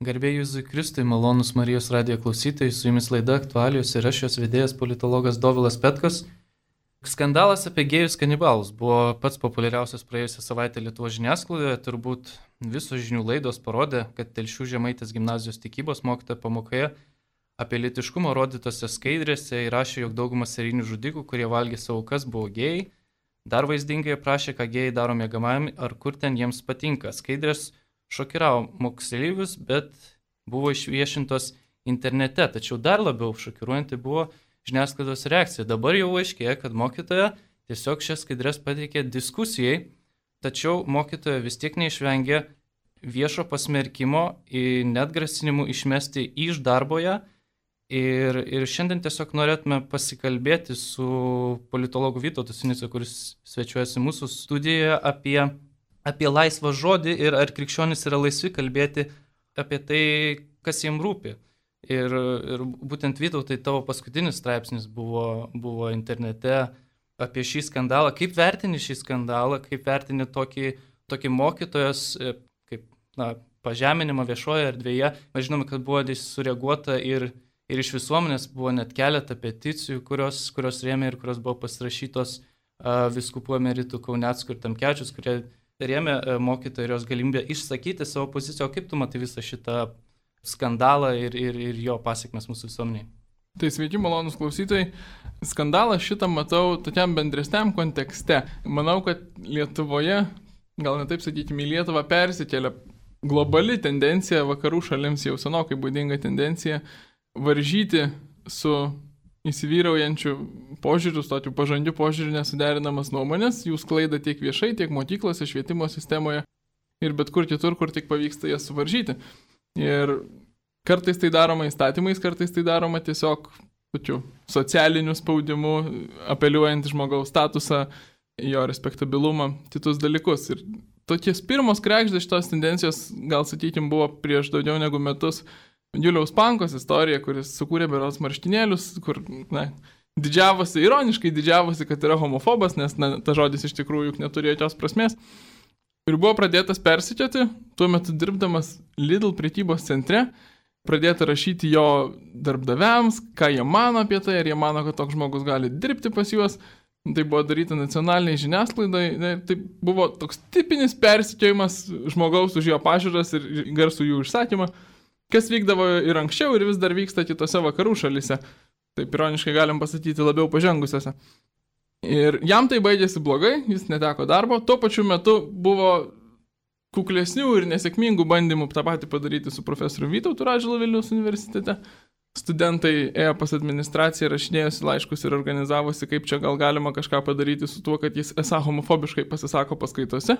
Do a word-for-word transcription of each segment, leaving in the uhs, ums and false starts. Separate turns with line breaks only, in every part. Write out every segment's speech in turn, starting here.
Garbė Jėzui Kristui, malonus Marijos radijo klausytojai, su jumis laida aktualijos ir aš jos vedėjas politologas Dovilas Petkus. Skandalas apie gėjus kanibalus buvo pats populiariausias praėjusią savaitę Lietuvos žiniasklaidoje. Turbūt visos žinių laidos parodė, kad Telšių Žemaitės gimnazijos tikybos mokytoja pamokoje apie lytiškumą rodytose skaidrėse įrašė, jog daugumas serijinių žudikų, kurie valgė savo aukas, buvo gėjai. Dar vaizdingai aprašė, ką gėjai daro miegamajame ar kur ten jiems patinka. Skaidrės šokiravo moksleivius, bet buvo išviešintos internete. Tačiau dar labiau šokiruojanti buvo žiniasklaidos reakcija. Dabar jau aiškėja, kad mokytoja tiesiog šias skaidrės pateikė diskusijai, tačiau mokytoja vis tiek neišvengė viešo pasmerkimo ir net grasinimų išmesti iš darboje. Ir, ir šiandien tiesiog norėtume pasikalbėti su politologu Vytautu Sinica, kuris svečiuojasi mūsų studijoje, apie, apie laisvą žodį ir ar krikščionys yra laisvi kalbėti apie tai, kas jiems rūpi. Ir, ir būtent Vytautai, tavo paskutinis straipsnis buvo, buvo internete apie šį skandalą. Kaip vertini šį skandalą, kaip vertini tokį, tokį mokytojos kaip, na, pažeminimą viešoje erdvėje? Mes žinome, kad buvo sureaguota ir Ir iš visuomenės buvo net keletą peticijų, kurios, kurios rėmė ir kurios buvo pasirašytos uh, vyskupų emeritų Kauneckų ir Tamkevičiaus, kurie rėmė uh, mokytoją ir jos galimybę išsakyti savo poziciją. O kaip tu matai visą šitą skandalą ir, ir, ir jo pasiekmes mūsų visuomeniai?
Tai sveiki, malonus klausytojai. Skandalą šitą matau tokiam bendresniam kontekste. Manau, kad Lietuvoje, gal ne taip sakykime, į Lietuvą persikėlė globali tendencija, vakarų šalims jau senokai būdinga tendencija, varžyti su įsivyraujančiu požiūriu, tokiu pažangiu požiūriu nesuderinamas nuomonės, jų sklaida tiek viešai, tiek mokyklose, švietimo sistemoje ir bet kur kitur, kur tik pavyksta jas suvaržyti. Ir kartais tai daroma įstatymais, kartais tai daroma tiesiog tokiu socialiniu spaudimu, apeliuojant žmogaus statusą, jo respektabilumą, kitus dalykus. Ir tokies pirmos krekždės šitos tendencijos, gal sakykim, buvo prieš daugiau negu metus Juliaus Pankos istorija, kuris sukūrė berods marškinėlius, kur, na, didžiavosi, ironiškai didžiavosi, kad yra homofobas, nes, na, ta žodis iš tikrųjų juk neturėjo jokios prasmės. Ir buvo pradėtas persekioti, tuo metu dirbdamas Lidl prekybos centre, pradėta rašyti jo darbdaviams, ką jie mano apie tai, ar jie mano, kad toks žmogus gali dirbti pas juos. Tai buvo daryta nacionaliniai žiniasklaidai, tai buvo toks tipinis persekiojimas žmogaus už jo pažiūras ir garsų jų išsakymą, kas vykdavo ir anksčiau ir vis dar vyksta kitose vakarų šalyse. Taip ironiškai galim pasakyti labiau pažengusiose. Ir jam tai baigėsi blogai, jis neteko darbo. Tuo pačiu metu buvo kuklesnių ir nesėkmingų bandymų tą patį padaryti su profesoriu Vytautu Radžvilu Vilniaus universitete. Studentai ėjo pas administraciją, rašinėjosi laiškus ir organizavosi, kaip čia gal galima kažką padaryti su tuo, kad jis esą homofobiškai pasisako paskaitose.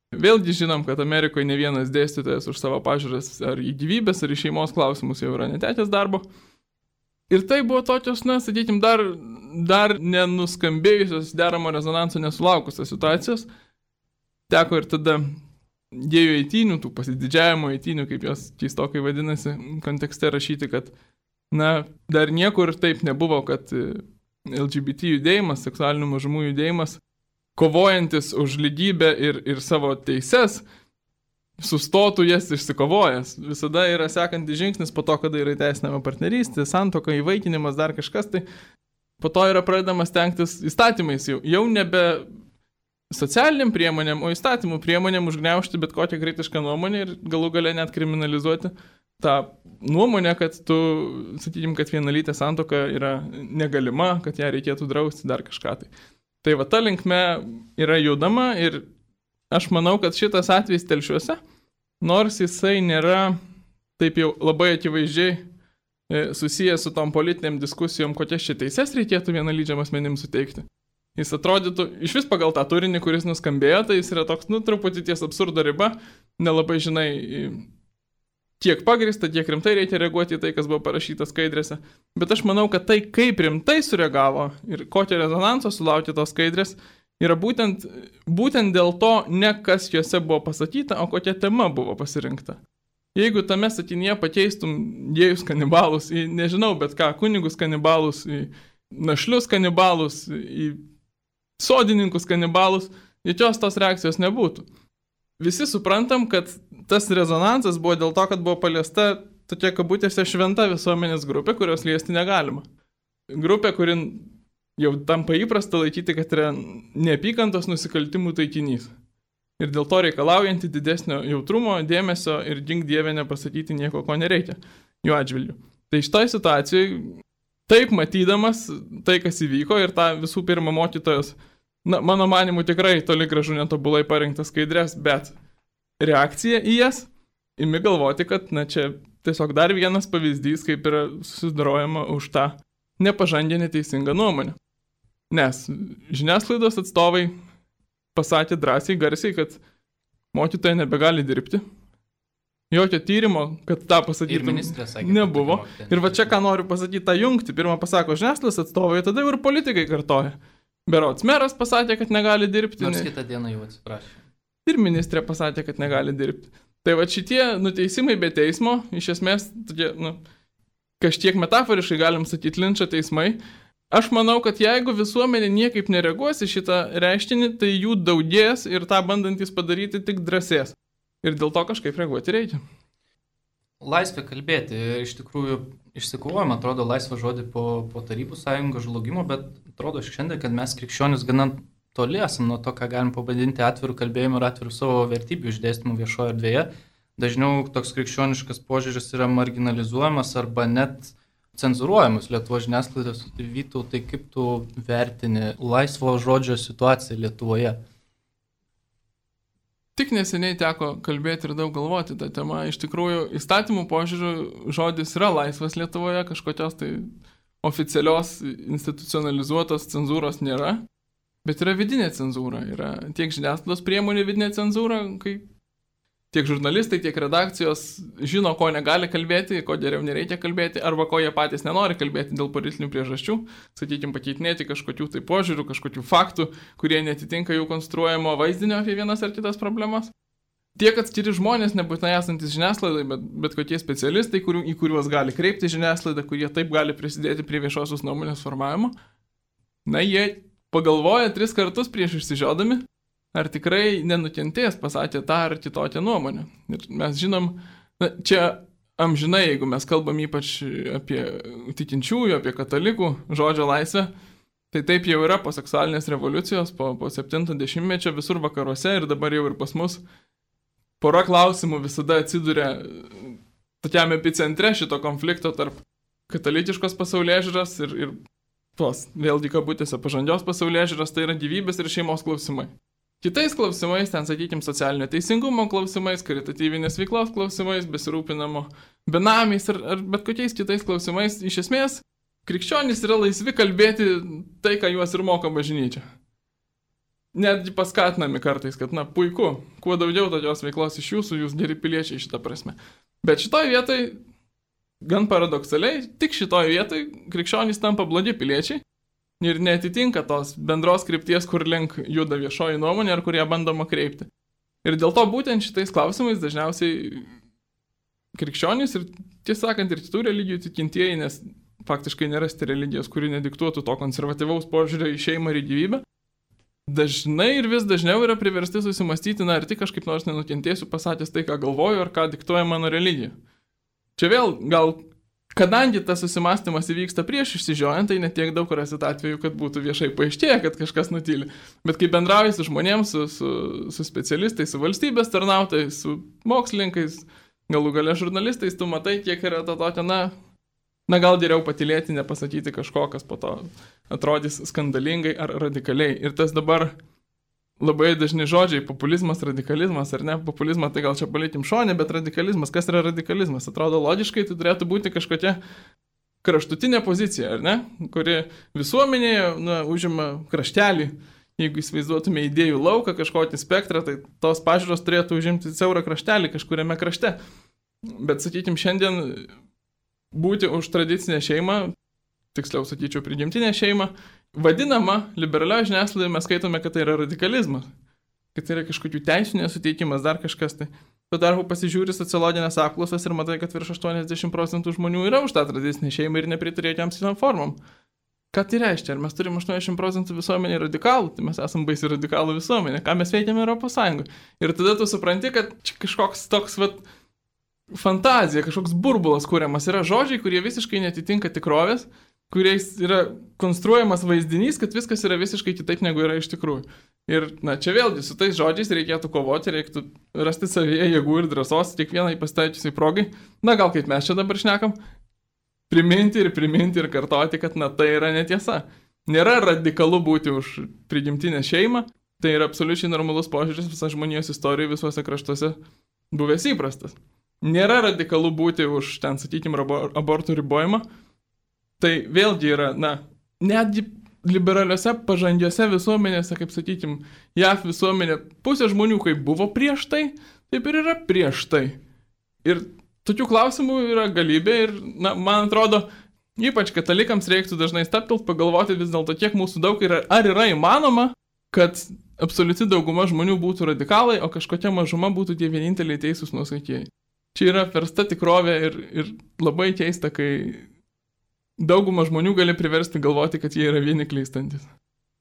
Vėlgi žinom, kad Amerikoje ne vienas dėstytojas už savo pažiūras ar į gyvybės, ar į šeimos klausimus jau yra netekęs darbo. Ir tai buvo tokios, na, sakykime, dar, dar nenuskambėjusios deramo rezonanso nesulaukusios situacijos. Teko ir tada gėjų eitynių, tų pasididžiavimo eitynių, kaip jos keistokai vadinasi, kontekste rašyti, kad, na, dar niekur taip nebuvo, kad L G B T judėjimas, seksualinių mažumų judėjimas, kovojantis už lygybę ir, ir savo teises, sustotų jas išsikovojęs. Visada yra sekantis žingsnis po to, kada yra įteisinama partnerystė, santuoka, įvaikinimas, dar kažkas, tai po to yra pradedamas stengtis įstatymais jau, jau nebe socialiniam priemonėm, o įstatymų priemonėm užgniaužti bet kokią kritišką nuomonę ir galų gale net kriminalizuoti tą nuomonę, kad tu, sakykim, kad vienalytė santuoka yra negalima, kad ją reikėtų drausti, dar kažką tai. Tai va, ta linkme yra judama ir aš manau, kad šitas atvejs Telšiuose, nors jisai nėra taip jau labai akivaizdžiai susijęs su tom politiniam diskusijom, kokias čia teises reikėtų vienalydžiam asmenim suteikti. Jis atrodytų, iš vis pagal tą turinį, kuris nuskambėjo, tai jis yra toks, nu, truputį ties absurdo riba, nelabai žinai, kiek pagrįsta, kiek rimtai reikia reaguoti į tai, kas buvo parašyta skaidrėse. Bet aš manau, kad tai, kaip rimtai sureagavo ir kokią rezonansą sulaukė tos skaidrės, yra būtent, būtent dėl to, ne kas juose buvo pasakyta, o kokia tema buvo pasirinkta. Jeigu tame sakinyje pakeistum gėjus kanibalus į, nežinau, bet ką, kunigus kanibalus, į našlius kanibalus, į sodininkus kanibalus, jokios tos reakcijos nebūtų. visi suprantam, kad tas rezonansas buvo dėl to, kad buvo paliesta tokia kabutėse šventa visuomenės grupė, kurios liesti negalima. Grupė, kuri jau tampa įprasta laikyti, kad yra neapykantos nusikaltimų taikinys. Ir dėl to reikalaujanti didesnio jautrumo, dėmesio ir gink dievė nepasakyti nieko, ko nereikia jų atžvilgių. Tai šitoj situacijai, taip matydamas tai, kas įvyko ir tą visų pirma mokytojos, na, mano manimu tikrai toli gražu netobulai parinktas skaidrės, bet reakcija į jas, imi galvoti, kad, na, čia tiesiog dar vienas pavyzdys, kaip yra susidorojama už tą nepažangę neteisingą nuomonę. Nes žiniasklaidos atstovai pasakė drąsiai, garsiai, kad mokytoja nebegali dirbti. Jokio tyrimo, kad tą pasakytum, nebuvo. Ir va čia ką noriu pasakyti, tą jungti. Pirmą pasako žiniasklaidos atstovai, tada ir politikai kartoja. Berods meras pasakė, kad negali dirbti.
Nors kitą dieną jau atsiprašė.
Ir ministrė pasakė, kad negali dirbti. Tai va šitie nuteisimai be teismo, iš esmės, tokie, nu, kažkiek metaforiškai galim sakyti linčo teismai. Aš manau, kad jeigu visuomenė niekaip nereaguos į šitą reiškinį, tai jų daugės ir tą bandantys padaryti tik drąsės. Ir dėl to kažkaip reaguoti reikia.
Laisvė kalbėti. Iš tikrųjų išsikovojama, atrodo, laisvą žodį po, po Tarybų sąjungos žlugimo, bet atrodo šiandien, kad mes krikščionis gana toli esam nuo to, ką galim pavadinti atvirų kalbėjimų ir atvirų savo vertybių išdėstymų viešoje erdvėje. Dažniau toks krikščioniškas požiūris yra marginalizuojamas arba net cenzuruojamus Lietuvos žiniasklaidos. Vytautai, kaip tu vertini laisvo žodžio situaciją Lietuvoje?
Tik neseniai teko kalbėti ir daug galvoti tą temą. Iš tikrųjų, įstatymų požiūrių žodis yra laisvas Lietuvoje, kažkokios tai oficialios, institucionalizuotos cenzūros nėra, bet yra vidinė cenzūra. Yra tiek žiniasklaidos priemonių vidinė cenzūra, kai tiek žurnalistai, tiek redakcijos žino, ko negali kalbėti, ko geriau nereikia kalbėti, arba ko jie patys nenori kalbėti dėl politinių priežasčių, sakykime, pakeitinėti kažkokių tai požiūrių, kažkokių faktų, kurie netitinka jų konstruojamo vaizdinio apie vienas ar kitas problemas. Tiek atskiri žmonės, nebūtinai esantis žiniasklaidai, bet, bet kokie specialistai, kurių, į kuriuos gali kreipti žiniasklaidą, kurie taip gali prisidėti prie viešosios nuomonės formavimo, na, jie pagalvoja tris kartus prieš išsižiodami, ar tikrai nenukentės pasakė tą ar kitokią nuomonę. Ir mes žinom, na, čia amžinai, jeigu mes kalbam ypač apie tikinčiųjų, apie katalikų žodžio laisvę, tai taip jau yra po seksualinės revoliucijos, po, po septinto dešimtmečio visur vakaruose ir dabar jau ir pas mus pora klausimų visada atsiduria tokiam epicentre šito konflikto tarp katalikiškos pasaulėžiūros ir, ir tos, vėlgi kabutėse, pažangios pasaulėžiūros, tai yra gyvybės ir šeimos klausimai. Kitais klausimais, ten, sakykime, socialinio teisingumo klausimais, karitatyvinės veiklos klausimais, besirūpinamo benamiais ar, ar bet kokiais kitais klausimais, iš esmės, krikščionys yra laisvi kalbėti tai, ką juos ir moko bažnyčia. Netgi paskatinami kartais, kad, na, puiku, kuo daugiau tokios veiklos iš jūsų, jūs geri piliečiai šitą prasme. Bet šitoj vietoj, gan paradoksaliai, tik šitoj vietoj krikščionys tampa blogi piliečiai. Ir neatitinka tos bendros krypties, kur link juda viešoji nuomonė ar kurie bandoma kreipti. Ir dėl to būtent šitais klausimais dažniausiai krikščionys ir, tiesą sakant, ir kitų religijų tikintieji, nes faktiškai nerasti religijos, kuri nediktuotų to konservatyvaus požiūrio į šeimą ir į gyvybę, dažnai ir vis dažniau yra priversti susimastyti, na, ar tik kažkaip nors nenukentėsiu pasakęs tai, ką galvoju, ar ką diktuoja mano religija. Čia vėl gal... Kadangi tas susimastymas įvyksta prieš išsižiojant, tai netiek daug rasit atveju, kad būtų viešai paaiškėję, kad kažkas nutyli. Bet kai bendrauji su žmonėms, su, su, su specialistais, su valstybės tarnautojais, su mokslininkais, galų gale žurnalistais, tu matai, kiek yra to tokio, na, na gal geriau patylėti, nepasakyti kažko, kas po to atrodys skandalingai ar radikaliai. Ir tas dabar labai dažni žodžiai, populizmas, radikalizmas, ar ne, populizmą tai gal čia palikim šonę, bet radikalizmas, kas yra radikalizmas? Atrodo logiškai, tai turėtų būti kažkokia kraštutinė pozicija, ar ne, kuri visuomenėje, na, užima kraštelį, jeigu įsivaizduotume idėjų lauką, kažkokį spektrą, tai tos pažiūros turėtų užimti siaurą kraštelį kažkuriame krašte. Bet, sakykim, šiandien būti už tradicinę šeimą, tiksliau sakyčiau, prigimtinę šeimą, vadinama, liberalioje žiniasklaidoje mes skaitome, kad tai yra radikalizmas, kad tai yra kažkokių teisų nesuteikimas, dar kažkas tai. Tuo tarpu pasižiūri sociologinės apklausas ir matai, kad virš aštuoniasdešimt procentų žmonių yra už tą tradicinę šeimą ir nepritarė jokiam kitom formom. Ką tai reiškia? Ar mes turime aštuoniasdešimt procentų visuomenė radikalų? Tai mes esame baisi radikalų visuomenė. Ką mes veikiame Europos Sąjungoje? Ir tada tu supranti, kad čia kažkoks toks vat, fantazija, kažkoks burbulas kuriamas. Yra žodžiai, kurie visiškai netitinka tikrovės, kuriais yra konstruojamas vaizdinys, kad viskas yra visiškai kitaip, negu yra iš tikrųjų. Ir, na, čia vėlgi, su tais žodžiais reikėtų kovoti, reikėtų rasti savyje jėgų ir drąsos, kiekvienai pasitaičiusiai progai. Na, gal kaip mes čia dabar šnekam, priminti ir priminti ir kartoti, kad, na, tai yra netiesa. Nėra radikalu būti už prigimtinę šeimą, tai yra absoliučiai normalus požiūris visą žmonijos istoriją visuose kraštuose buvęs įprastas. Nėra radikalu būti už, ten, sakykime, abortų ribojimą. Tai vėlgi yra, na, netgi liberaliuose pažangiuose visuomenėse, kaip sakykime, J A V visuomenė, pusė žmonių, kaip buvo prieš tai, taip ir yra prieš tai. Ir tokių klausimų yra galybė ir, na, man atrodo, ypač katalikams reiktų dažnai staptelt, pagalvoti vis dėlto, kiek mūsų daug yra, ar yra įmanoma, kad absoliuti dauguma žmonių būtų radikalai, o kažkokia mažuma būtų tie vieninteliai teisūs nuosaikieji. Čia yra versta tikrovė ir, ir labai keista, kai daugumą žmonių gali priversti galvoti, kad jie yra vieni klystantis.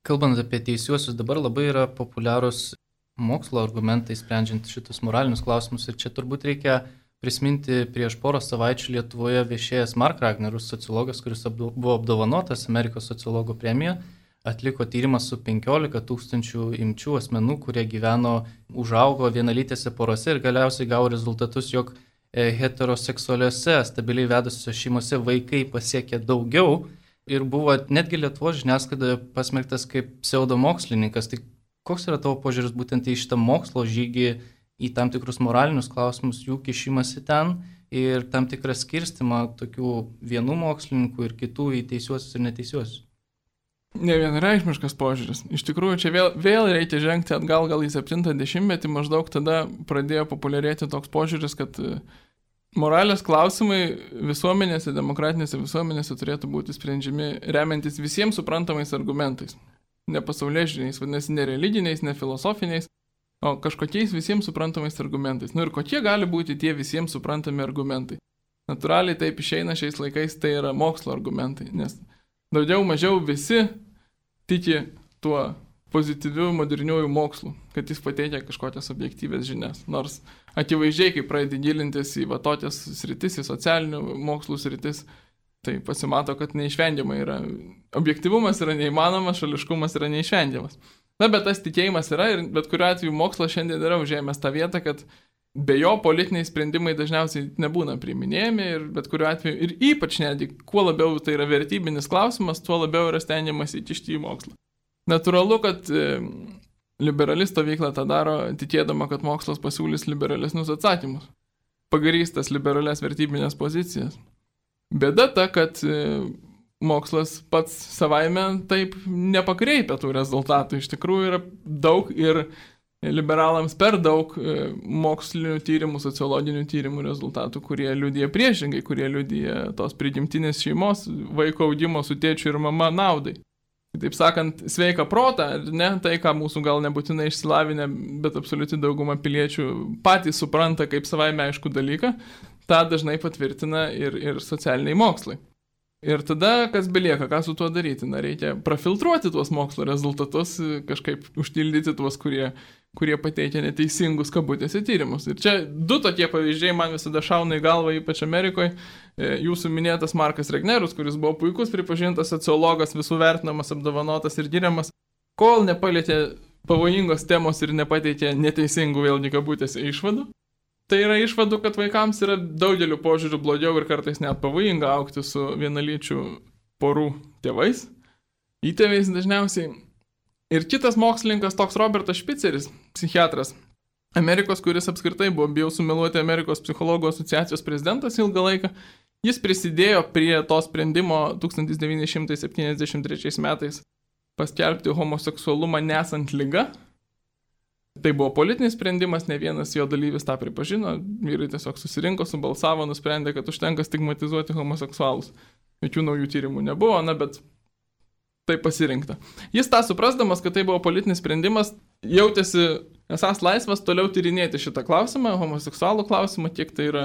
Kalbant apie teisiuosius, dabar labai yra populiarūs mokslo argumentai, sprendžiant šitus moralinius klausimus. Ir čia turbūt reikia prisiminti prieš porą savaičių Lietuvoje viešėjęs Mark Ragnerus, sociologas, kuris apdo, buvo apdovanotas Amerikos sociologo premija, atliko tyrimą su penkiolika tūkstančių imčių asmenų, kurie gyveno, užaugo vienalytėse porose ir galiausiai gavo rezultatus, jog heteroseksualiuose, stabiliai vedusiuose šeimose vaikai pasiekė daugiau ir buvo netgi Lietuvos žiniasklaidoje pasmerktas kaip pseudomokslininkas. Tai koks yra tavo požiūris būtent į šitą mokslo žygį, į tam tikrus moralinius klausimus, jų kišimąsi ten ir tam tikrą skirstimą tokių vienų mokslininkų ir kitų į teisiuosius ir neteisiuosius?
Nevienareikšmiškas požiūris. Iš tikrųjų, čia vėl, vėl reikia žengti atgal gal į septintą dešimtmetį, maždaug tada pradėjo populiarėti toks požiūris, kad moralės klausimai visuomenėse, demokratinėse visuomenėse turėtų būti sprendžiami remiantis visiems suprantamais argumentais. Ne pasaulėžiūriniais, vadinasi, ne religiniais, ne filosofiniais, o kažkokiais visiems suprantamais argumentais. Nu ir kokie gali būti tie visiems suprantami argumentai? Natūraliai taip išeina šiais laikais, tai yra mokslo argumentai, nes daugiau mažiau visi tiki tuo pozityviu moderniuoju mokslu, kad jis pateikia kažkokias objektyvės žinias. Nors akivaizdžiai, kai pradedi gilintis į va tokias sritis, į socialinių mokslų sritis, tai pasimato, kad neišvengiamai yra. Objektyvumas yra neįmanomas, šališkumas yra neišvengiamas. Na, bet tas tikėjimas yra ir bet kuriuo atveju mokslas šiandien yra užėmęs tą vietą, kad be jo politiniai sprendimai dažniausiai nebūna priiminėjami ir bet kuriuo atveju, ir ypač netgi, kuo labiau tai yra vertybinis klausimas, tuo labiau yra stengiamas įkišti į mokslą. Natūralu, kad e, liberali stovykla tą daro, tikėdama, kad mokslas pasiūlys liberalesnius atsakymus, pagrįstas liberalias vertybinės pozicijas. Bėda ta, kad e, mokslas pats savaime taip nepakreipia tų rezultatų. Iš tikrųjų yra daug ir liberalams per daug mokslinių tyrimų, sociologinių tyrimų rezultatų, kurie liudija priešingai, kurie liudija tos prigimtinės šeimos, vaiko augimo su tėčiu ir mama naudai. Taip sakant, sveika protą, ne tai, ką mūsų gal nebūtinai išsilavinę, bet absoliuti dauguma piliečių patys supranta kaip savaime aišku dalyką, tą dažnai patvirtina ir, ir socialiniai mokslai. Ir tada, kas belieka, ką su tuo daryti? Na, reikia prafiltruoti tuos mokslo rezultatus, kažkaip užtildyti tuos, kurie, kurie pateikia neteisingus kabutėse tyrimus. Ir čia du tokie pavyzdžiai man visada šauna į galvą, ypač Amerikoje. Jūsų minėtas Markas Ragnerus, kuris buvo puikus pripažintas sociologas, visų vertinamas, apdovanotas ir giriamas, kol nepalietė pavojingos temos ir nepateikė neteisingų vėlgi kabutėse išvadų. Tai yra išvadų, kad vaikams yra daugeliu požiūrių blogiau ir kartais net pavojinga augti su vienalyčių porų tėvais, įtėviais dažniausiai. Ir kitas mokslininkas, toks Robertas Špiceris, psichiatras Amerikos, kuris apskritai buvo, bijau sumeluoti, Amerikos psichologų asociacijos prezidentas ilgą laiką, jis prisidėjo prie to sprendimo tūkstantis devyni šimtai septyniasdešimt trečiais metais paskelbti homoseksualumą nesant liga. Tai buvo politinis sprendimas, ne vienas jo dalyvis tą pripažino, vyrai tiesiog susirinko, subalsavo, nusprendė, kad užtenka stigmatizuoti homoseksualus. Jokių naujų tyrimų nebuvo, na, bet tai pasirinkta. Jis tą suprasdamas, kad tai buvo politinis sprendimas, jautėsi esas laisvas toliau tyrinėti šitą klausimą, homoseksualų klausimą, kiek tai yra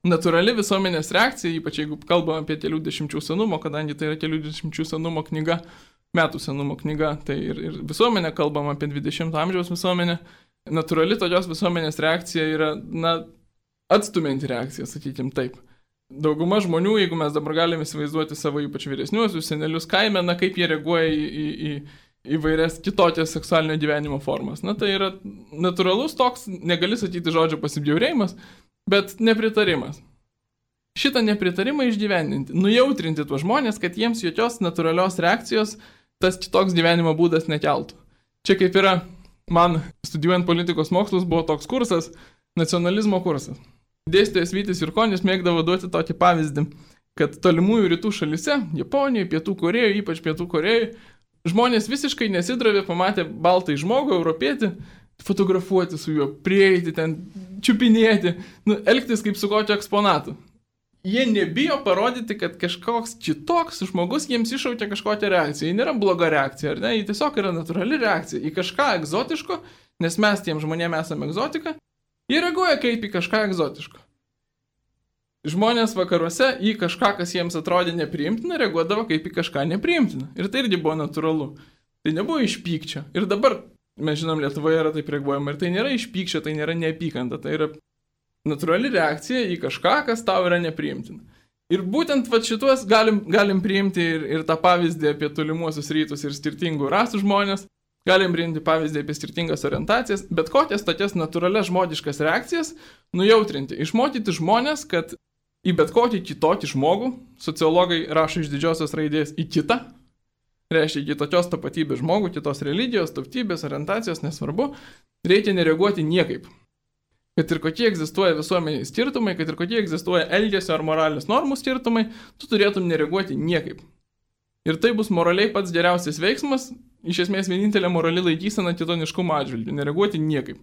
natūrali visuomenės reakcija, ypač jeigu kalbame apie kelių dešimčių senumo, kadangi tai yra kelių dešimčių senumo knyga, metų senumo knyga, tai ir, ir visuomenė, kalbam apie dvidešimto amžiaus visuomenę, natūrali tokios visuomenės reakcija yra, na, atstumianti reakcija, sakykim taip. Dauguma žmonių, jeigu mes dabar galime įsivaizduoti savo ypač vyresniuosius senelius kaime, na, kaip jie reaguoja į, į, į įvairias kitokias seksualinio gyvenimo formas. Na, tai yra natūralus toks, negali sakyti žodžio pasibjaurėjimas, bet nepritarimas. Šitą nepritarimą išgyvendinti, nujautrinti tuos žmonės, kad jiems jokios natūralios reakcijos tas kitoks gyvenimo būdas nekeltų. Čia kaip yra, man studijuojant politikos mokslus buvo toks kursas, nacionalizmo kursas. Dėstytojas Vytis Jurkonis mėgdavo duoti tokį pavyzdį, kad tolimųjų rytų šalyse, Japonijoje, Pietų Korėjoje, ypač Pietų Korėjoje, žmonės visiškai nesidravė, pamatė baltai žmogų, europietį, fotografuoti su juo, prieiti ten, čiupinėti, nu, elgtis kaip su kokiu eksponatu. Jie nebijo parodyti, kad kažkoks kitoks žmogus jiems iššaukia kažkokią reakciją. Ji nėra bloga reakcija, ar ne? Ji tiesiog yra natūrali reakcija į kažką egzotiško, nes mes tiem žmonėms esame egzotika. Jie reaguoja kaip į kažką egzotiško. Žmonės vakaruose į kažką, kas jiems atrodė nepriimtina, reaguodavo kaip į kažką nepriimtina. Ir tai irgi buvo natūralu. Tai nebuvo iš pykčio. Ir dabar, mes žinom, Lietuvoje yra taip reaguojama. Ir tai nėra iš pykčio, tai nėra neapykanta. Tai yra natūrali reakcija į kažką, kas tau yra nepriimtina. Ir būtent va, šituos galim, galim priimti ir, ir tą pavyzdį apie tolimuosius rytus ir skirtingų rasų žmonės. Galim priimti pavyzdį apie skirtingas orientacijas, bet kokias tokias natūralias žmogiškas reakcijas nujautrinti. Išmokyti žmonės, kad į bet kokį kitokį žmogų, sociologai rašo iš didžiosios raidės į kitą, reiškia kitokios tapatybės žmogų, kitos religijos, tautybės, orientacijos, nesvarbu, reikia nereaguoti niekaip. Kad ir kokie egzistuoja visuomeniai skirtumai, kad ir kokie egzistuoja elgesio ar moralės normų skirtumai, tu turėtum nereaguoti niekaip. Ir tai bus moraliai pats geriausias veiksmas, iš esmės vienintelė morali laikysena kitoniškumo atžvilgiu, nereaguoti niekaip.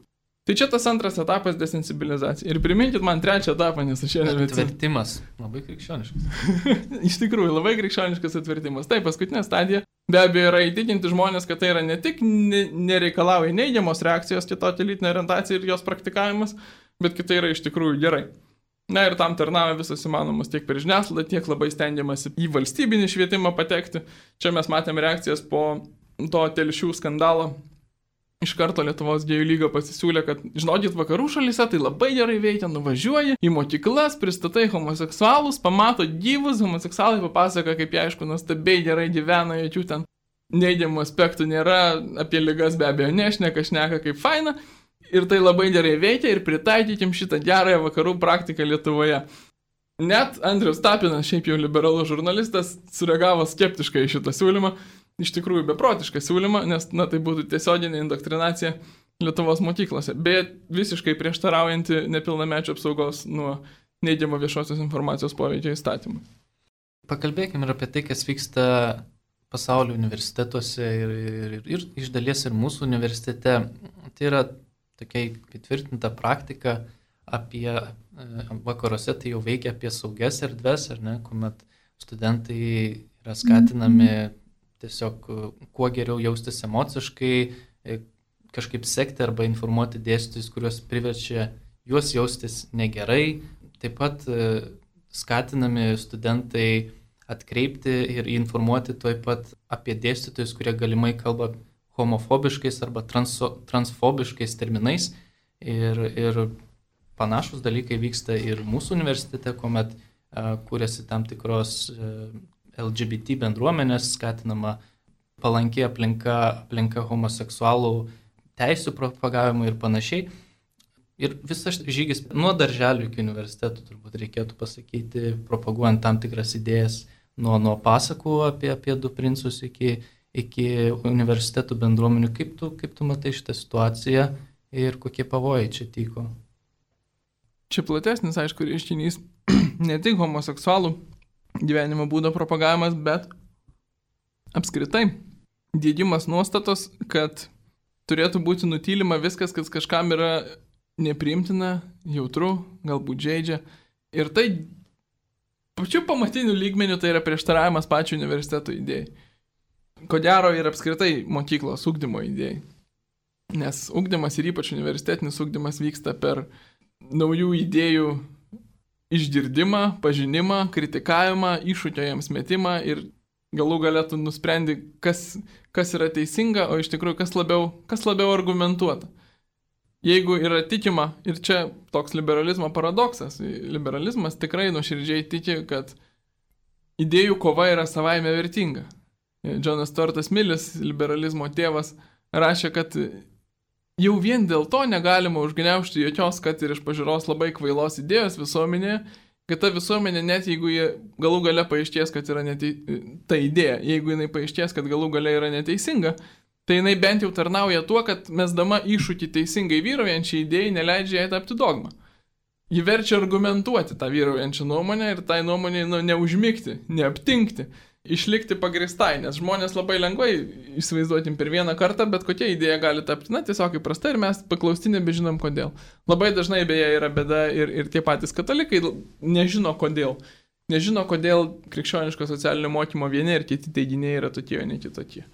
Tai čia tas antras etapas – desensibilizacija. Ir priminkit man trečią etapą, nes aš šiandien...
Atvertimas. Labai krikščioniškas.
Iš tikrųjų, labai krikščioniškas atvertimas. Tai paskutinė stadija be abejo yra įtikinti žmonės, kad tai yra ne tik nereikalauja neigiamos reakcijos kitokia lytinė orientacija ir jos praktikavimas, bet kad tai yra iš tikrųjų gerai. Na ir tam tarnauja visas įmanomas tiek per žiniasklaidą, tiek labai stengiamasi į valstybinį švietimą patekti. Čia mes matėme reakcijas po to Telšių skandalo. Iš karto Lietuvos gėjų lyga pasisiūlė, kad, žinokit, vakarų šalyse tai labai gerai veikia, nuvažiuoji į mokyklas, pristatai homoseksualus, pamato gyvus, homoseksualai papasaka, kaip jie, aišku, nuostabiai gerai gyvena, jokių ten neigiamų aspektų nėra, apie ligas be abejo nešneka, šneka kaip faina, ir tai labai gerai veikia ir pritaikykim šitą gerąją vakarų praktiką Lietuvoje. Net Andrius Tapinas, šiaip jau liberalus žurnalistas, sureagavo skeptiškai į šitą siūlymą. Iš tikrųjų beprotišką siūlymą, nes, na, tai būtų tiesioginė indoktrinacija Lietuvos mokyklose, bet visiškai prieštaraujanti nepilnamečių apsaugos nuo neigiamo viešosios informacijos poveikio įstatymų.
Pakalbėkime ir apie tai, kas vyksta pasaulio universitetuose ir, ir, ir, ir iš dalies ir mūsų universitete. Tai yra tokia įtvirtinta praktika apie vakaruose, tai jau veikia apie saugias erdves, ar ne, kuomet studentai yra skatinami tiesiog kuo geriau jaustis emociškai, kažkaip sekti arba informuoti dėstytojus, kuriuos priverčia juos jaustis negerai. Taip pat skatinami studentai atkreipti ir informuoti taip pat apie dėstytojus, kurie galimai kalba homofobiškais arba transo, transfobiškais terminais. Ir, ir panašus dalykai vyksta ir mūsų universitete, kuomet uh, kūrėsi tam tikros uh, L G B T bendruomenės, skatinama palanki aplinka, aplinka homoseksualų teisų propagavimui ir panašiai. Ir visas žygis nuo darželių iki universitetų, turbūt reikėtų pasakyti, propaguojant tam tikras idėjas nuo, nuo pasakų apie, apie du princus iki, iki universitetų bendruomenių. Kaip tu, kaip tu matai šitą situaciją ir kokie pavojai čia tyko?
Čia platesnis, aišku, reiškinys ne tik homoseksualų gyvenimo būdo propagavimas, bet apskritai diegimas nuostatos, kad turėtų būti nutylima viskas, kas kažkam yra nepriimtina, jautru, galbūt žeidžia. Ir tai pačiu pamatiniu lygmeniu tai yra prieštaravimas pačiu universiteto idėjai. Ko gero ir apskritai mokyklos ugdymo idėjai. Nes ugdymas ir ypač universitetinis ugdymas vyksta per naujų idėjų išgirdimą, pažinimą, kritikavimą, iššūkio jiems metimą ir galų galėtų nusprendi, kas, kas yra teisinga, o iš tikrųjų kas labiau, kas labiau argumentuota. Jeigu yra tikima, ir čia toks liberalizmo paradoksas, liberalizmas tikrai nuoširdžiai tiki, kad idėjų kova yra savaime vertinga. Džonas Stuartas Millis, liberalizmo tėvas, rašė, kad jau vien dėl to negalima užgniaužti jokios, kad ir iš pažiūros labai kvailos idėjos visuomenėje, kad ta visuomenė, net jeigu jie galų gale paaiškės, kad yra netei... ta idėja, jeigu jinai paaiškės, kad galų gale yra neteisinga, tai jinai bent jau tarnauja tuo, kad mesdama iššūkį teisingai vyraujančiai idėjai neleidžia jai tapti dogmą. Ji verčia argumentuoti tą vyraujančią nuomonę ir tai nuomonė nu, neužmigti, neaptinkti, išlikti pagristai, nes žmonės labai lengvai įsivaizduotim per vieną kartą, bet kokia idėja gali tapti, na, tiesiog įprasta ir mes paklausti nebežinom kodėl. Labai dažnai beje yra bėda ir, ir tie patys katalikai nežino kodėl. Nežino, kodėl krikščioniško socialinio mokymo vieni ir kiti teiginiai yra tokie, o ne kitokie.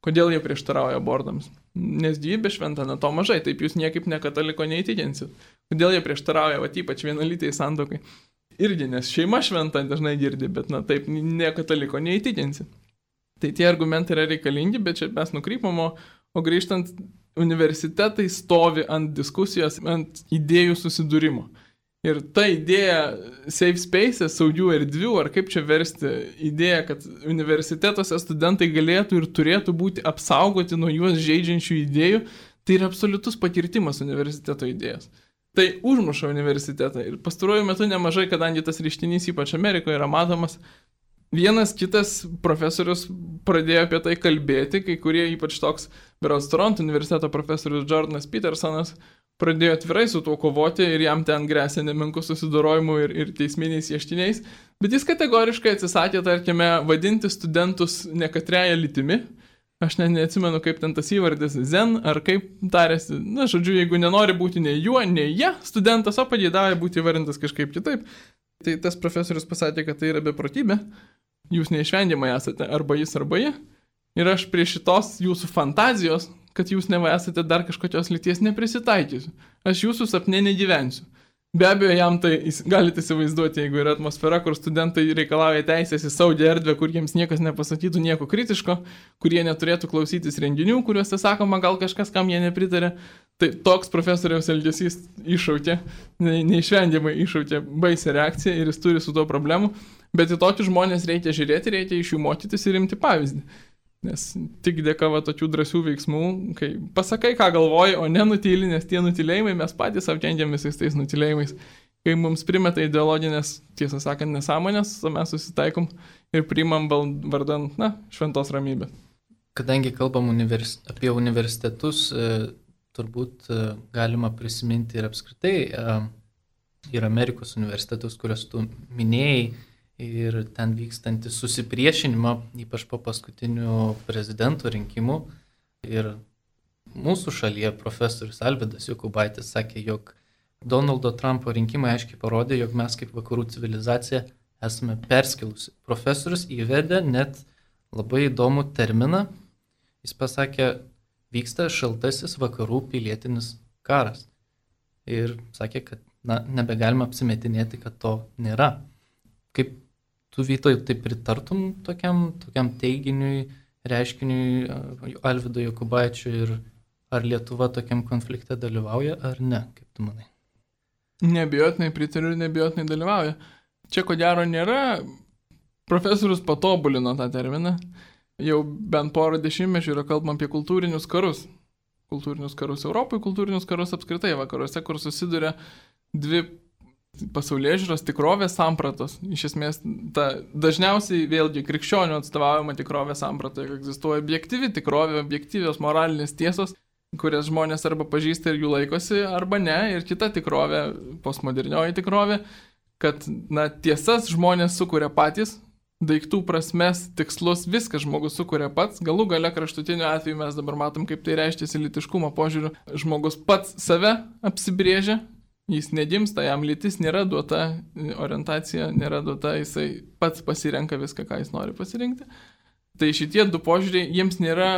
Kodėl jie prieštarauja abortams? Nes gyvybė šventa, na to mažai, taip jūs niekaip ne kataliko neįtikinsit. Kodėl jie prieštarauja, va ypač vienalytei santuokai? Irgi, nes šeima šventa dažnai girdi, bet na taip ne kataliko neįtikinsi. Tai tie argumentai yra reikalingi, bet čia mes nukrypam, o, o grįžtant, universitetai stovi ant diskusijos, ant idėjų susidūrimo. Ir ta idėja safe space, saugių erdvių, ar kaip čia versti, idėja, kad universitetuose studentai galėtų ir turėtų būti apsaugoti nuo juos žeidžiančių idėjų, tai yra absoliutus pakirtimas universiteto idėjos. Tai užmuša universitetą. Ir pastaruoju metu nemažai, kadangi tas reiškinys ypač Amerikoje yra matomas, vienas kitas profesorius pradėjo apie tai kalbėti, kai kurie ypač toks berods Toronto universiteto profesorius Jordanas Petersonas pradėjo atvirai su tuo kovoti ir jam ten grėsė nemenku susidorojimu ir, ir teisminiais ieštiniais, bet jis kategoriškai atsisakė, tarkime, vadinti studentus nekatreja lytimi. Aš ne, neatsimenu, kaip ten tas įvardis, zen, ar kaip tarėsi, na, žodžiu, jeigu nenori būti nei juo, nei jie, studentas, o pageidauja būti įvardintas kažkaip kitaip. Tai tas profesorius pasakė, kad tai yra beprotybė, jūs neišvengiamai esate arba jis, arba jie. Ir aš prie šitos jūsų fantazijos, kad jūs neva esate dar kažkokios lyties neprisitaikysiu. Aš jūsų sapne negyvensiu. Be abejo, jam tai galite įsivaizduoti, jeigu yra atmosfera, kur studentai reikalauja teisės į saugią erdvę, kur jiems niekas nepasakytų nieko kritiško, kurie neturėtų klausytis renginių, kuriuose sakoma gal kažkas, kam jie nepritarė. Tai toks profesoriaus elgesys iššaukė, ne, neišvengiamai iššaukė baisią reakciją ir jis turi su tuo problemų. Bet į tokius žmonės reikia žiūrėti, reikia iš jų mokytis ir imti pavyzdį. Nes tik dėka va tokių drąsių veiksmų, kai pasakai, ką galvoji, o ne nutyli, nes tie nutylėjimai mes patys apkengiam visais tais nutylėjimais. Kai mums primeta ideologinės, tiesą sakant, nesąmonės, mes susitaikom ir priimam vardan, na, šventos ramybės.
Kadangi kalbam univers... apie universitetus, e, turbūt e, galima prisiminti ir apskritai e, ir Amerikos universitetus, kuriuos tu minėjai, ir ten vykstantį susipriešinimą, ypač po paskutinių prezidento rinkimų. Ir mūsų šalyje profesorius Alvydas Jokubaitis sakė, jog Donaldo Trumpo rinkimai aiškiai parodė, jog mes kaip vakarų civilizacija esame perskilusi. Profesorius įvedė net labai įdomų terminą. Jis pasakė, vyksta šaltasis vakarų pilietinis karas. Ir sakė, kad na, nebegalime apsimetinėti, kad to nėra. Kaip tu, Vytoj, tai pritartum tokiam, tokiam teiginiui, reiškiniui Alvydo Jokubaičio ir ar Lietuva tokiam konflikte dalyvauja ar ne, kaip tu manai?
Nebijotinai pritariu ir nebijotinai dalyvauja. Čia ko gero nėra, profesorius patobulino tą terminą, jau bent porą dešimtmečių yra kalbama apie kultūrinius karus. Kultūrinius karus Europoje, kultūrinius karus apskritai vakaruose, kur susiduria dvi pasaulėžiūros tikrovės sampratos. Iš esmės, ta, dažniausiai vėlgi krikščionių atstovaujama tikrovės samprata, egzistuoja objektyvi tikrovė, objektyvios moralinės tiesos, kurias žmonės arba pažįsta ir jų laikosi, arba ne, ir kita tikrovė, postmodernioji tikrovė, kad na, tiesas žmonės sukuria patys, daiktų prasmes, tikslus, viskas žmogus sukuria pats, galų gale kraštutiniu atveju mes dabar matom, kaip tai reiškiasi lytiškumo požiūriu, žmogus pats save apsibrėžia, jis negimsta, jam lytis nėra duota, orientacija nėra duota, jisai pats pasirenka viską, ką jis nori pasirinkti. Tai šitie du požiūriai, jiems nėra,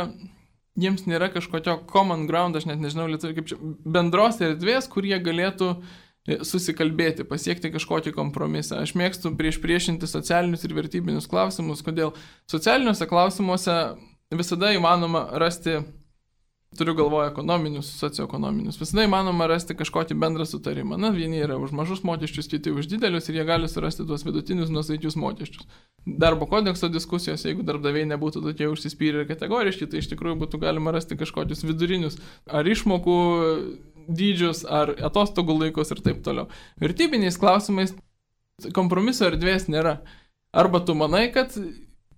jiems nėra kažkokio common ground, aš net nežinau, lietuvių kaip čia, bendros erdvės, kur jie galėtų susikalbėti, pasiekti kažkokį kompromisą. Aš mėgstu prieš priešinti socialinius ir vertybinius klausimus, kodėl socialiniuose klausimuose visada įmanoma rasti, turiu galvoje ekonominius, socioekonominius, visada įmanoma rasti kažkokį bendrą sutarimą. Na, vieni yra už mažus mokesčius, kiti už didelius ir jie gali surasti tuos vidutinius nuosaikius mokesčius. Darbo kodekso diskusijos, jeigu darbdaviai nebūtų tokie užsispyrę ir kategoriški, tai iš tikrųjų būtų galima rasti kažkokius vidurinius ar išmokų dydžius, ar atostogų laikus ir taip toliau. Vertybiniais klausimais kompromiso erdvės nėra. Arba tu manai, kad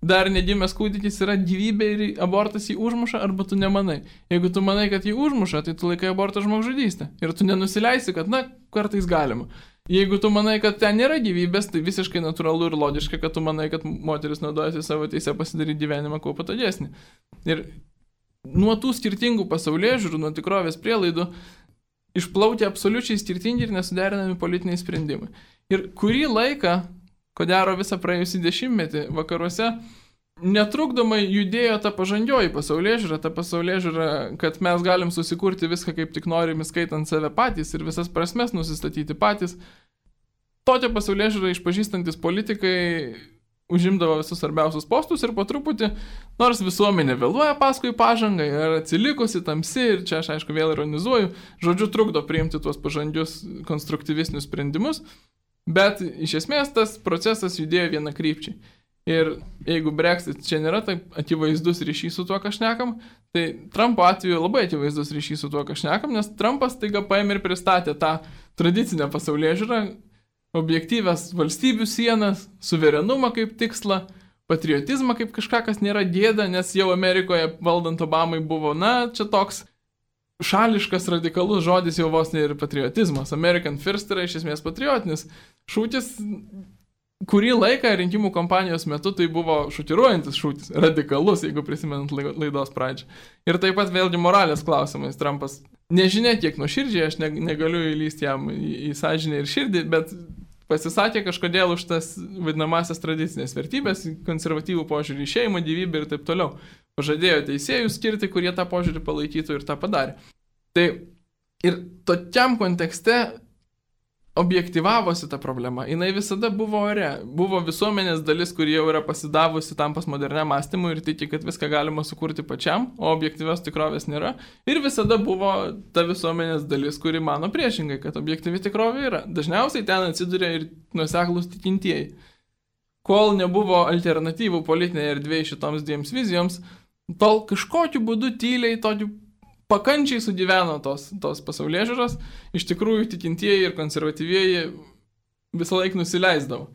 dar negimęs kūdikis yra gyvybė ir abortas jį užmuša, arba tu nemanai. Jeigu tu manai, kad jį užmuša, tai tu laikai abortą žmogžudystę. Ir tu nenusileisi, kad, na, kartais galima. Jeigu tu manai, kad ten nėra gyvybės, tai visiškai natūralu ir logiška, kad tu manai, kad moteris naudojasi savo teisę pasidaryti gyvenimą kuo patogesnį. Ir nuo tų skirtingų pasaulėžiūrų, nuo tikrovės prielaidų, išplaukia absoliučiai skirtingi ir nesuderinami politiniai sprendimai. Ir kurį laiką, ko gero visą praėjusį dešimtmetį, vakaruose netrukdomai judėjo ta pažangioji pasaulėžiūra, ta pasaulėžiūra, kad mes galim susikurti viską kaip tik norim, skaitant save patys ir visas prasmes nusistatyti patys. Tokia pasaulėžiūra išpažįstantis politikai užimdavo visus svarbiausius postus ir po truputį, nors visuomenė vėluoja paskui pažangą ir atsilikusi tamsi, ir čia aš aišku vėl ironizuoju, žodžiu trukdo priimti tuos pažangius konstruktyvistinius sprendimus, bet iš esmės tas procesas judėjo viena krypčiai. Ir jeigu Brexit čia nėra taip akivaizdus ryšys su tuo, ką šnekam, tai Trumpo atveju labai akivaizdus ryšys su tuo, ką šnekam, nes Trumpas taiga paėmė ir pristatė tą tradicinę pasaulėžiūrą, objektyvias valstybių sienas, suverenumą kaip tikslą, patriotizmą kaip kažką, kas nėra gėda, nes jau Amerikoje valdant Obamai buvo, na, čia toks šališkas, radikalus žodis jau vos ne ir patriotizmas. American First yra iš esmės patriotinis šūkis. Kurį laiką rinkimų kampanijos metu tai buvo šokiruojantis šūkis, radikalus, jeigu prisimenant laidos pradžią. Ir taip pat vėlgi moralės klausimais Trumpas nežinia kiek nuoširdžiai, aš negaliu įlysti jam į, į sąžinę ir širdį, bet pasisakė kažkodėl už tas vadinamasias tradicinės vertybės, konservatyvų požiūrį į šeimą, gyvybę ir taip toliau. Pažadėjo teisėjus skirti, kurie tą požiūrį palaikytų ir tą padarė. Tai ir tokiam kontekste objektyvavosi ta problema. Jinai visada buvo ore. Buvo visuomenės dalis, kuri jau yra pasidavusi tam postmoderniam mąstymui ir tiki, kad viską galima sukurti pačiam, o objektyvios tikrovės nėra. Ir visada buvo ta visuomenės dalis, kuri mano priešingai, kad objektyvi tikrovė yra. Dažniausiai ten atsiduria ir nuoseklūs tikintieji. Kol nebuvo alternatyvų politinėje erdvėje šitoms dviems vizijoms, tol kažkokiu būdu tyliai, tokiu pakančiai sugyveno tos, tos pasaulėžiūros, iš tikrųjų tikintieji ir konservatyvieji visą laiką nusileisdavo.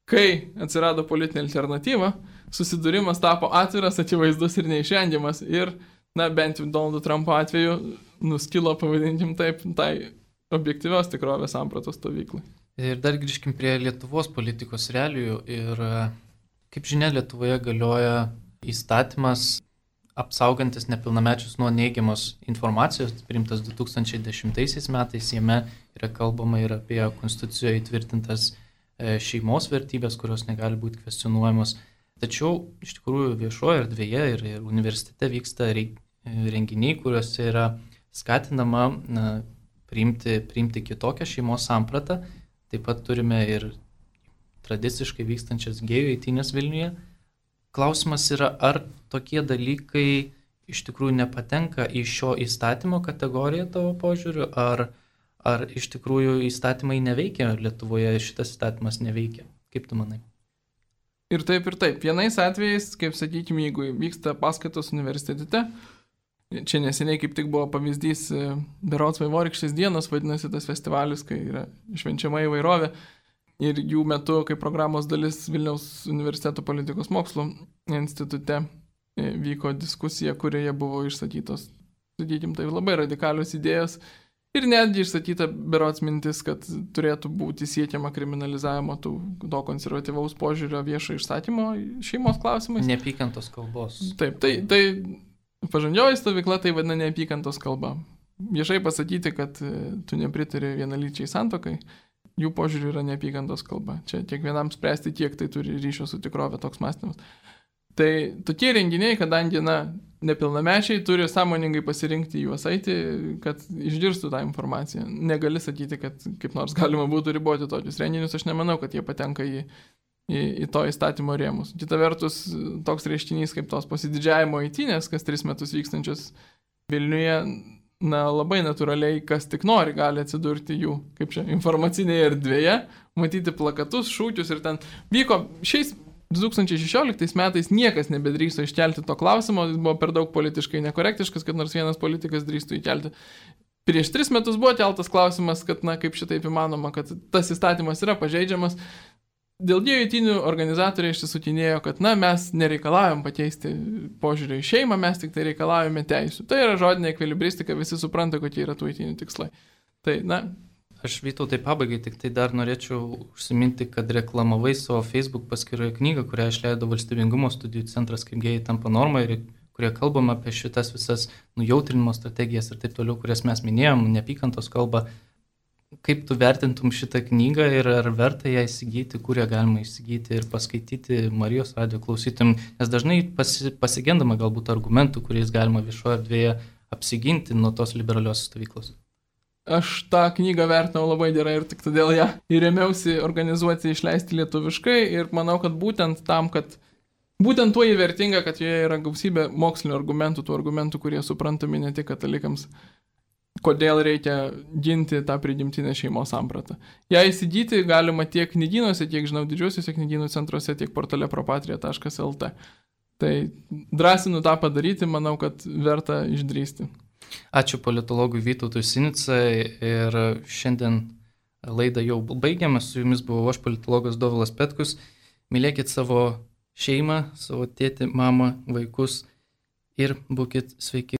Kai atsirado politinė alternatyva, susidūrimas tapo atviras, akivaizdus ir neišvengiamas ir, na, bent jau Donaldo Trumpo atveju nuskilo, pavadinkim taip, tai objektyvios tikrovės sampratos stovyklai.
Ir dar grįžkim prie Lietuvos politikos realijų ir, kaip žinia, Lietuvoje galioja įstatymas apsaugantis nepilnamečius nuo neigiamos informacijos, priimtas du tūkstančiai dešimtaisiais metais, jame yra kalbama ir apie konstitucijoje įtvirtintas šeimos vertybės, kurios negali būti kvestionuojamos. Tačiau iš tikrųjų viešoje erdvėje ir, ir universitete vyksta renginiai, kuriuose yra skatinama na, priimti, priimti kitokią šeimos sampratą. Taip pat turime ir tradiciškai vykstančias gėjų eitynės Vilniuje. Klausimas yra, ar tokie dalykai iš tikrųjų nepatenka į šio įstatymo kategoriją tavo požiūriu, ar, ar iš tikrųjų įstatymai neveikia Lietuvoje, šitas įstatymas neveikia. Kaip tu manai?
Ir taip, ir taip. Vienais atvejais, kaip sakykime, jeigu vyksta paskaitos universitete, čia neseniai kaip tik buvo pavyzdys berods Vaivorykštės dienos, vadinasi tas festivalis, kai yra švenčiama įvairovė. Ir jų metu, kaip programos dalis Vilniaus universiteto politikos mokslų institute vyko diskusija, kurioje buvo išsakytos, sakykim, tai labai radikalios idėjos ir netgi išsakyta berods mintis, kad turėtų būti siekiama kriminalizavimo tų, to konservatyvaus požiūrio viešo išsakymo šeimos klausimais.
Neapykantos kalbos.
Taip, tai, tai pažangioji stovykla tai vadina neapykantos kalba. Viešai pasakyti, kad tu nepritari vienalyčiai santuokai, jų požiūrį yra neapykantos kalba. Čia kiekvienam spręsti, kiek tai turi ryšio su tikrovė toks mąstymas. Tai tokie renginiai, kadangi, na, nepilnamečiai turi sąmoningai pasirinkti juos eiti, kad išgirstų tą informaciją. Negali sakyti, kad kaip nors galima būtų riboti tokius renginius, aš nemanau, kad jie patenka į, į, į to įstatymo rėmus. Kita vertus, toks reiškinys kaip tos pasididžiavimo eitynės, kas tris metus vykstančios Vilniuje, na, labai natūraliai, kas tik nori, gali atsidurti jų, kaip čia, informacinėje erdvėje, matyti plakatus, šūkius ir ten vyko šiais du tūkstančiai šešioliktais metais niekas nebedrįso iškelti to klausimo, jis buvo per daug politiškai nekorektiškas, kad nors vienas politikas drįstų įkelti. Prieš tris metus buvo keltas klausimas, kad, na, kaip šitaip įmanoma, kad tas įstatymas yra pažeidžiamas. Dėl dviejų eitynių organizatoriai išsisutinėjo, kad, na, mes nereikalavom pakeisti požiūrį į šeimą, mes tik tai reikalavome teisų. Tai yra žodinė ekvilibristika, visi supranta, kokie yra tų eitynių tikslai. Tai, na,
Aš Vytautai pabaigai tik tai dar norėčiau užsiminti, kad reklamavai savo Facebook paskyroje knygą, kurią išleido Valstybingumo studijų centras, kaip gėjai tampa norma, ir kurie kalbam apie šitas visas nujautrinimo strategijas ir taip toliau, kurias mes minėjom, neapykantos kalba. Kaip tu vertintum šitą knygą ir ar verta ją įsigyti, kur ją galima įsigyti ir paskaityti Marijos radijo klausytum, nes dažnai pasi, pasigendama galbūt argumentų, kuriais galima viešoje erdvėje apsiginti nuo tos liberalios stovyklos.
Aš tą knygą vertinau labai gerai ir tik todėl ją įrėmiausi organizuoti, išleisti lietuviškai ir manau, kad būtent tam, kad būtent tuo įvertinga, kad joje yra gausybė mokslinių argumentų, tų argumentų, kurie suprantami ne tik katalikams, kodėl reikia ginti tą prigimtinę šeimos sampratą. Ją įsigyti galima tiek knygynuose, tiek, žinau, didžiuosiuose knygynų centruose, tiek portale propatria taškas lt. Tai drąsinu tą padaryti, manau, kad verta išdrįsti.
Ačiū politologui Vytautui Sinicai ir šiandien laidą jau baigiame. Su jumis buvau aš, politologas Dovilas Petkus. Mylėkit savo šeimą, savo tėtį, mamą, vaikus ir būkit sveiki.